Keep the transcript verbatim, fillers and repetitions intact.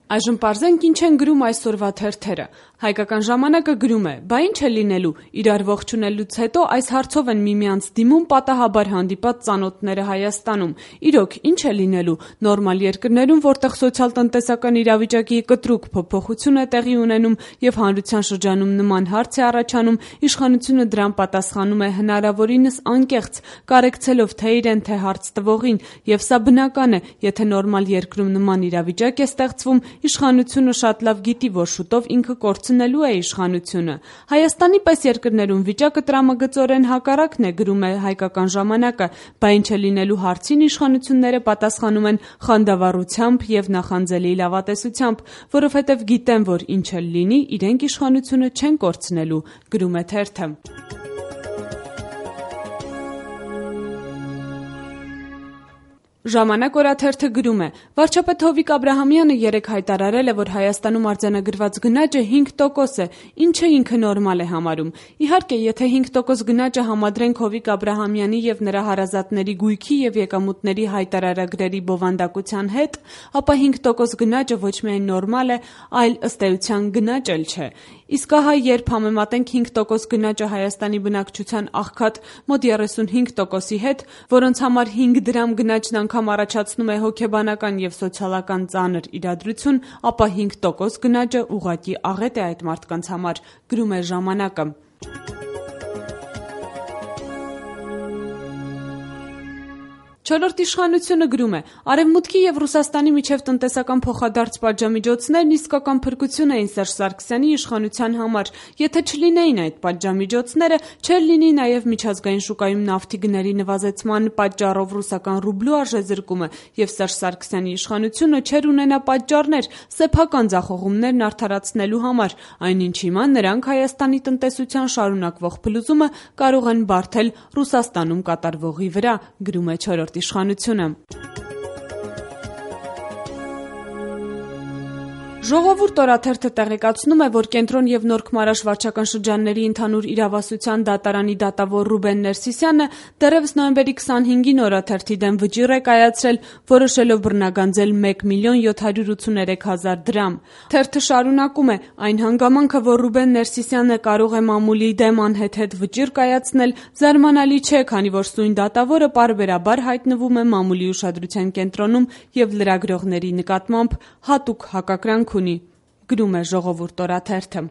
Այժմ պարզենք ինչ են գրում այսօրվա թերթերը։ Հայկական ժամանակը գրում է. «Բա ինչ է լինելու, իրար ողջունելուց հետո այս հարցով են միմյանց դիմում պատահաբար հանդիպած ծանոթները Հայաստանում։ Իրոք, ինչ է լինելու, նորմալ երկրներում, որտեղ սոցիալ-տնտեսական իրավիճակի կտրուկ փոփոխություն է տեղի ունենում եւ հանրության շրջանում նման հարց է առաջանում, իշխանությունը դրան պատասխանում է հնարավորինս անկեղծ, կարեկցելով թե իրեն, թե հարց տվողին, եւ սա բնական է, եթե նորմալ երկրում նման իրավիճակ է ստեղծվում, իշխանությունը շատ լավ գիտի, որ շուտով ինքը կորցնելու է իշխանությունը։ Հայաստանի պես երկրներում վիճակը տրամագծորեն հակառակն է», գրում է Հայկական ժամանակը, «Բա ինչ է լինելու» հարցին իշխանությունները պատասխանում են խանդավառությամբ եւ նախանձելի լավատեսությամբ, որովհետեւ գիտեն, որ ինչ էլ լինի, իրենք իշխանությունը չեն կորցնելու, գրում է թերթը։ Ժամանակ օրաթերթը գրում է. «Վարչապետ Հովիկ Աբրահամյանը երեկ հայտարարել է, որ Հայաստանում արձանագրված գնաճը հինգ տոկոս է, ինչը ինքը նորմալ է համարում։ Իհարկե, եթե հինգ տոկոս գնաճը համադրենք Հովիկ Աբրահամյանի եւ նրա հարազատների գույքի եւ եկամուտների հայտարարագրերի բովանդակության հետ, ապա հինգ տոկոս գնաճը ոչ միայն նորմալ է, այլ ըստ էության գնաճ էլ չէ։ Իսկ ահա երբ համեմատենք հինգ տոկոս գնաճը Հայաստանի բնակչության աղքատ մոտ երեսունհինգ տոկոսի հետ, որոնց համար հինգ դրամ գնաճն անգամ առաջացնում է հոգեբանական եւ սոցիալական ծանր իրադրություն, ապա հինգ տոկոս գնաճը ուղղակի աղետ է այդ մարդկանց համար», գրում է ժամանակը։ Չորրորդ իշխանությունը գրում է. «Արևմուտքի եւ Ռուսաստանի միջև տնտեսական փոխադարձ պատժամիջոցներն իսկական փրկություն էին Սերժ Սարգսյանի իշխանության համար։ Եթե չլինեին այդ պատժամիջոցները, չէր լինի նաեւ միջազգային շուկայում նավթի գների նվազեցման պատճառով ռուսական ռուբլու արժեզրկումը, եւ Սերժ Սարգսյանի իշխանությունը չէր ունենա պատճառներ սեփական ձախողումներն արդարացնելու համար, այնինչ հիմա նրանք Հայաստանի տնտեսության շարունակվող փլուզումը կարող են բարդել Ռուսաստանում կատարվողի վրա», գրում է չորրորդ իշխանությունը։ Ժողովուրդ օրաթերթը տեղեկացնում է, որ Կենտրոն եւ Նորք Մարաշ վարչական շրջանների ընդհանուր իրավասության դատարանի դատավոր Ռուբեն Ներսիսյանը դեռևս նոյեմբերի քսանհինգին օրաթերթի դեմ վճիռ է կայացրել, որոշելով բռնագանձել մեկ միլիոն յոթ հարյուր ութսուներեք հազար դրամ։ Թերթը շարունակում է. «Այն հանգամանքը, որ Ռուբեն Ներսիսյանը կարող է մամուլի դեմ անհեթեթ վճիռ կայացնել, զարմանալի չէ, քանի որ սույն դատավորը պարբերաբար հայտնվում է մամուլի ուշադրության կենտրոնում եւ լրագրողների նկատմամբ հատուկ հակակրանք ունի», գրում է Ժողովուրդ օրաթերթը։